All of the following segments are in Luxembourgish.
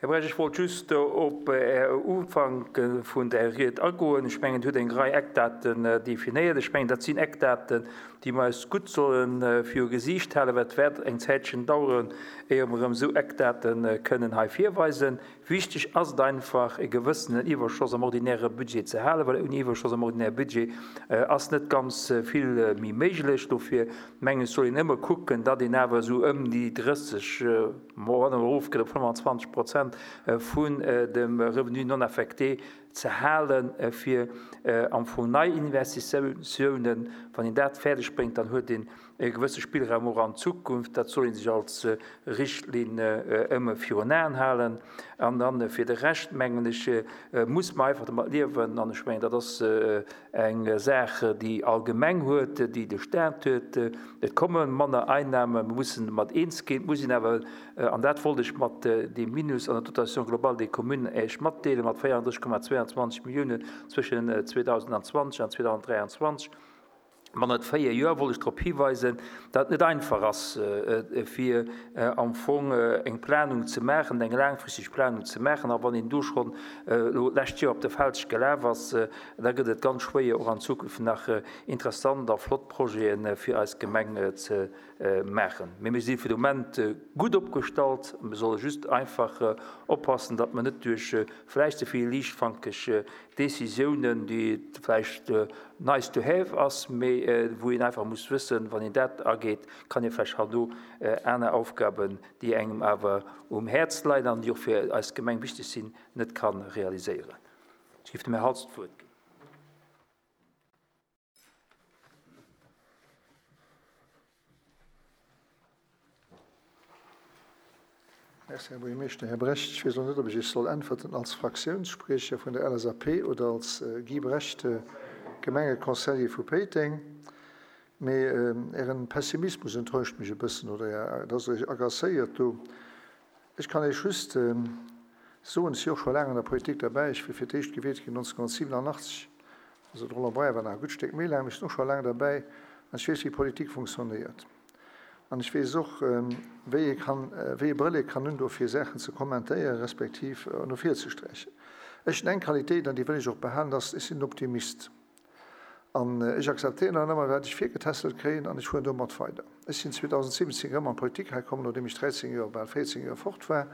Här Brecht, ech wollt just op Är Ufank vun der Ried agoen. Ech mengen, Dir hutt eng Rei Eckdaten definéiert. Ech mengen, dat sinn Eckdaten, déi mer eis gutt solle viru Gesiicht halen, well et wäert eng Zäitchen daueren, éier mer erëm esou Eckdate kënnen hei virweisen. Wichteg ass et einfach, e gewëssenen Iwwerschoss am ordinäre Budget ze halen, well ouni Iwwerschoss am ordinäre Budget ass net ganz vill méi méiglech. Dofir mengen ech, soll een ëmmer kucken, datt een awer esou ëm déi 30, wann en erofgeet op 25 Prozent vun dem Revenu non affecté ze halen, fir am Fong nei Investitiounen, wann een dat fäerdeg bréngt, dann huet een e gewësse Spillraum och an Zukunft. Dat soll ee sech als Richtlinn ëmmer virun Aen halen. An dann fir de Rescht, mengen ech, muss mer einfach domat liewen, an ech mengen, dat ass Eng Saach, déi all Gemeng huet, déi de Stat huet. Et komme manner Einnahmen, mer mussen domat eens ginn. Et muss een awer, an dat wollt ech mat deem Minus an der Dotation globale des communes Iech matdeelen, mat 34,22 Milliounen zwëschen 2020 an 2023, bannent véier Joer, wollt ech drop hiweisen, datt et net einfach ass, fir am Fong eng Planung ze maachen, eng laangfristeg Planung ze maachen. A wann een do schonn elo d'lescht Joer op de Felg gelaf ass, Da gëtt et ganz schwéier, och an Zukunft nach interessant a flott Projete fir eis Gemeng ze maachen. Mee mir si fir de Moment gutt opgestallt. Mir solle just einfach oppassen, datt mer net duerch vläicht ze vill liichtfankeg Décisiounen, déi vläicht nice to have ass, mee wou een einfach muss wëssen, wann een dat ageet, kann ee vläicht herno aner Aufgaben, déi engem awer um Häerz leien an déi och fir eis Gemeng wichteg sinn, net ka realiséieren. Ech géif dem Här Haltz d'Wuert ginn. Merci, Här Buergermeeschter. Här Brecht, ech weess elo net, ob ech Iech soll äntwerten als Fraktiounsspriecher vun der LSAP oder als Guy Brecht, Gemengeconseiller vu Péiteng, mee Ären Pessimismus enttäuscht mech e bëssen, oder Är, dass Der Iech agacéiert do. Ech kann Iech just soen, ech si och scho laang an der Politik derbäi, ech wier fir d'éischt gewielt ginn 1987, also de Roland Breyer war nach e gutt Stéck méi laang, mee ech sinn och scho laang derbäi an ech weess, wéi Politik funktionéiert. An ech weess och, wéi ee kann, wéi ee Brëll ee kann hunn do fir Saachen ze kommentéieren, respektiv no vir ze strächen. Ech hunn eng Qualitéit an déi wëll ech och behalen, dat ass, ech sinn en Optimist. An ech akzeptéieren dann ëmmer, wat ech virgetässelt kréien, an ech fueren domat weider. Ech sinn 2017 erëm an d'Politik hei komm, nodeem ech 13 Joer, bal 14 Joer fort war.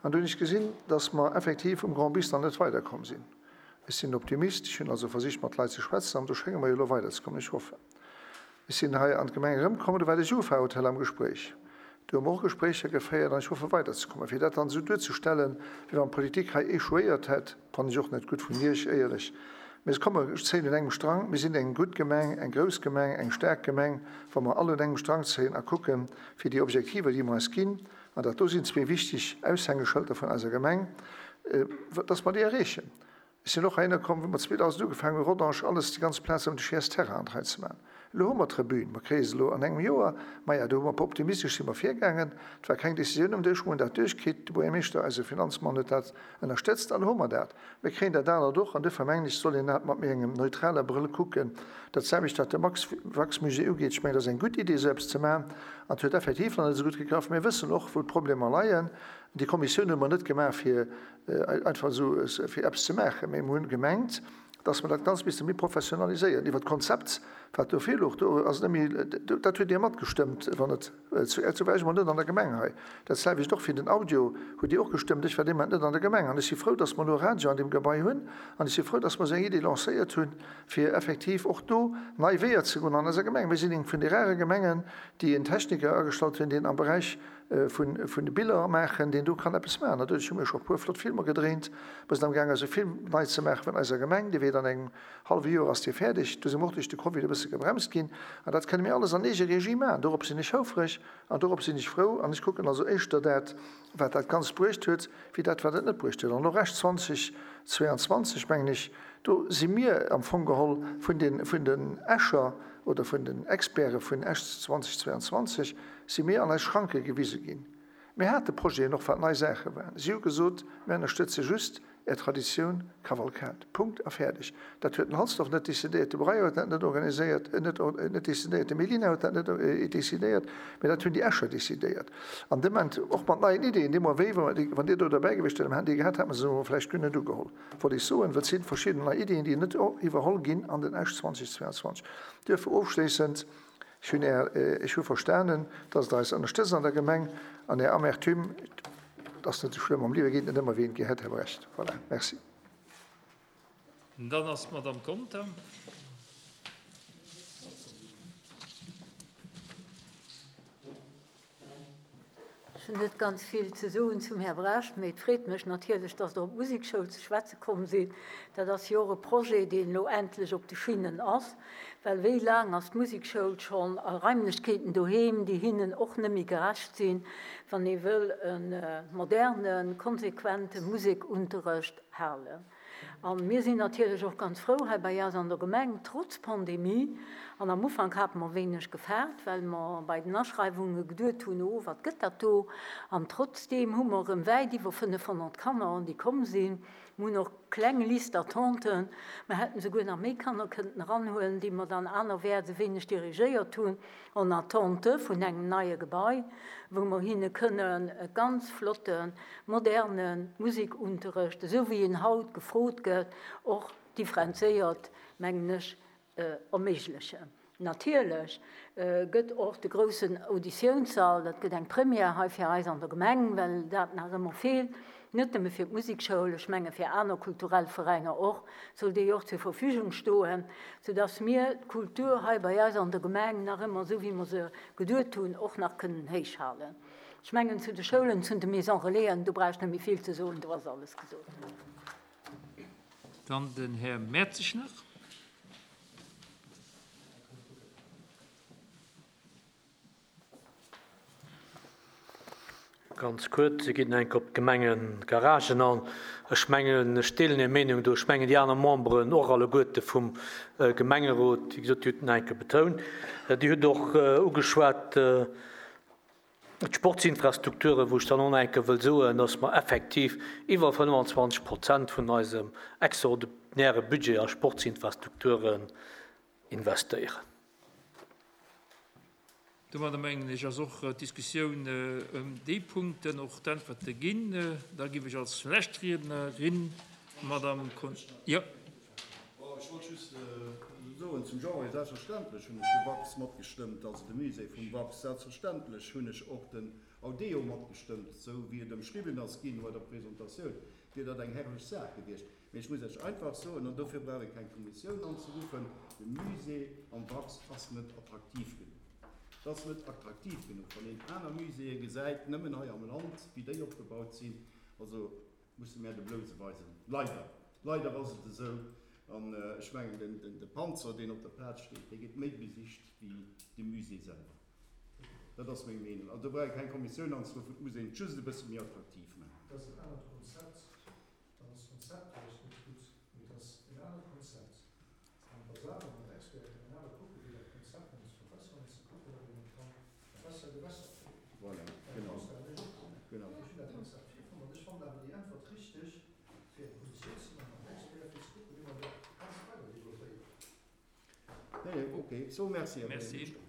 An do hunn ech gesinn, dass mer effektiv um Grand Bis nach net weiderkomm sinn. Ech sinn Optimist, ech hunn also versicht, mat Leit ze schwätzen, an do schénge mer jo elo weiderzekommen. Ech hoffen. Ech sinn hei an d'Gemeng erëmkomm, do war de Jufa-Hotel am Gespréich. Do hu mer och Gespréicher geféiert an ech hoffe weiderzekommen. Fir dat dann esou duerzestellen, wéi wann d'Politik hei échouéiert hätt, fannen ech och net gutt vun Iech, éierlech. Mee komm, mer zéien un engem Strang. Mir sinn eng gutt Gemeng, eng grouss Gemeng, eng staark Gemeng, wa mer all un engem Strang zéien a kucken, fir déi Objektiver, déi mer eis ginn, an dat do sinn zwee wichteg Aushängeschëlter vun eiser Gemeng, dass mer déi erreechen. Ech sinn och heihinner komm, wou mer 2000 ugefaangen hunn, Rodange, alles, déi ganz Plaz ëm de Chiers Terrain an d'Rei ze maachen. Elo hu mer d'Tribün, mer kréie se elo an engem Joer. Maja, do hu mer optimistesch si mer virgaangen. Et war keng Décisioun um Dësch, mer hunn dat duerchkritt. De Buergermeeschter, eise Finanzmann, huet dat ënnerstëtzt an elo hu mer dat. Mir kréien dat anert och an duerfir mengen ech, soll een dat mat méi engem neutraler Brëll kucken. Dat selwecht wat de Max Wax-Musée ugeet, ech mengen, dat ass eng gutt Idee, esou eppes ze maachen an et huet effektiv nach net esou gutt gegraff. Mir wëssen och, wou d'Problemer leien. Déi Kommissioun hu mer net gemaach, fir einfach esou fir eppes ze maachen, mee mer hunn gemengt, dass mer dat Ganzt misste méi professionaliséieren. Iwwert d'Konzept, wat do virlouch, do ass net méi, dat hutt Dir matgestëmmt, wann et, zu war ech emol net an der Gemeng hei. Dat selwecht och fir den Audio hutt Dir och gestëmmt, ech war dee Moment net an der Gemeng. An ech si frou, dass mer elo e Radio an deem Gebai hunn an ech si frou, dass mer esou eng Idee lancéiert hunn, fir effektiv och do nei Weeër ze goen an eiser Gemeng. Mir sinn eng vun de rare Gemengen, déi en Techniker agestallt hunn, deen am Beräich vun de Biller maachen, deen do kann eppes maachen. Natierlech hu mir scho e puer flott Filmer gedréint. Mer sinn amgaang eise Film nei ze maache vun eiser Gemeng. Dee wäert an engem hallwe Joer ass dee fäerdeg. Do si mer och duerch de Covid e bësse gebremst ginn. An dat kënne mir alles an Eegeregie maachen. Dorop sinn ech houfreg an dorop sinn ech frou. An ech kucken also éischter dat, wat dat Ganzt bruecht huet, wéi dat, wat et net bruecht huet. An elo Recht 2022, mengen ech, do si mir am Fong geholl vun den, vun den Escher oder vun den Experte vun Esch 2022, si mir an eis Schranke gewise ginn. Mir hate Projeten och, wat nei Saache waren. Si hu gesot, Mir ënnerstëtze just. Är Traditioun, Kavalkad. Punkt a fäerdeg. Dat huet den Halsdorf net decidéiert, de Breyer huet dat net organiséiert, net, net decidéiert, de Mellina huet dat net decidéiert, mee dat hunn déi Escher decidéiert. An dee Moment, och mat neien Ideeën, deemno wéi, wann Dir do derbäi gewiescht wiert, hätt Dir gehat, hätt mer se elo vläicht guer net ugeholl, wollt ech soen, well et si verschidden nei Ideeën, déi net iwwerholl ginn an den Esch 2022. Duerfir ofschléissend, Ech hunn Är, ech hu verstanen, dass Der eis ënnerstëtzt an der Gemeng an Är Amertume, et ass net esou schlëmm, am Liewe geet net ëmmer wéi een et gär hätt, Här Brecht. Voilà, merci. Dann ass d'Madame Conter. Ech hunn net ganz vill ze soen zum Här Brecht, mee et freet mech natierlech, dass Der op d'Musekschoul ze schwätze komm sidd. Dat ass jo och e Projet, deen elo endlech op de Schinnen ass. Well wéi laang ass d'Musekschoul schonn a Raimlechkeeten doheem, déi hinnen och net méi gerecht sinn, wann ee wëll e modernen, konsequente Musekunterrecht halen. A mir sinn natierlech och ganz frou hei bei eis an der Gemeng, trotz Pandemie, an am Ufank hate mer wéineg gefaart, well mer bei den Aschreiwunge geduet hunn, oh wat gëtt dat do? An trotzdeem hu mer erëm wäit iwwer 500 Kanner, déi komm sinn. Mir hunn och kleng Liste d'attenten. Mer hätten souguer nach méi Kanner kënnten eranhuelen, déi mer dann anerwäerts e wéineg dirigéiert hunn, en attente vun engem neie Gebai, wou mer hinne kënnen e ganz flotte moderne Musekunterrecht, esou wéi en haut gefrot gëtt, och differenzéiert, mengen ech, erméiglechen. Natierlech gëtt och de groussen Auditiounssall, dat gëtt eng Première hei fir eis an der Gemeng, well dat nach ëmmer feelt, net nëmme fir d'Musekschoul, ech menge fir aner kulturell Veräiner och, soll dee jo och zur Verfügung stoen, soudass mir d'Kultur hei bei eis an der Gemeng nach ëmmer, esou wéi mer se geduet hunn, och nach kënnen héichhalen. Ech mengen, zu de Schoulen, zu de Maisons Relaisen, do brauch ech net méi vill ze soen, do ass alles gesot. Dann den Här Mertzig nach. Ganz kuerz, Dir gitt enk op d'Gemengegaragen an. Ech mengen, ech deelen Är Meenung do. Ech mengen, déi aner Memberen och alleguerte vum Gemengerot, wéi gesot, Dir hutt en enke betount. Dir hutt och ugeschwat d'Sportsinfrastrukturen, wou ech dann och nach enke wëll soen, dass mer effektiv iwwer 25 Prozent vun eisem extraordinäre Budget a Sportsinfrastrukturen investéieren. Domadder mengen ech ass och d'Diskussioun ëm déi Punkten, och d'Äntwerte ginn. Da giff ech als lescht Riednerin d'Madame Con. Jo. Ech wollt just soen zum Jean, selbstverständlech hunn ech de Wax matgestëmmt, also de Musée vum Wax. Selbstverständlech hunn ech och den Audeo matgestëmmt, esou wéi et ëmschriwwen ass ginn bei der Presentatioun, wier dat eng herrlech Saach gewiescht. Mee ech muss Iech einfach soen, an dofir brauch ee keng Kommissioun anzeruffen, de Musée am Wax ass net attraktiv genuch. Et ass net attraktiv genuch, wann een aner Muséeë gesäit, nëmmen hei am Land, wéi déi opgebaut sinn. Also musse mär de Blouse weisen. Leider, leider ass et esou. An ech mengen, de Panzer, deen op der Plaz steet, dee gétt méi besicht wéi de Musée selwer. Dat ass meng Meenung. Also do brauch ee keng Kommissioun anzeruffen, et muss een et just e bësse méi attraktiv maachen. Dat ass en anert Konzept. Dann ass d'Konzept vläicht net gutt, mee et ass en anert Konzept. An da saache mat Experten an awer kucken, wéi dat Konzept nach ze verbessern ass, ze kucken, ob een et ka besser gebessert kréien. Voilà, genau. Genau. Ech hunn dat Konzept virfonnt an ech fannen awer déi Äntwert richteg, fir eng Kommissioun ze maachen mat Experten, fir ze kucken, wéi mer dat Ganzt weider developpéieren. Nee, okay, so merci, Här Buergermeeschter.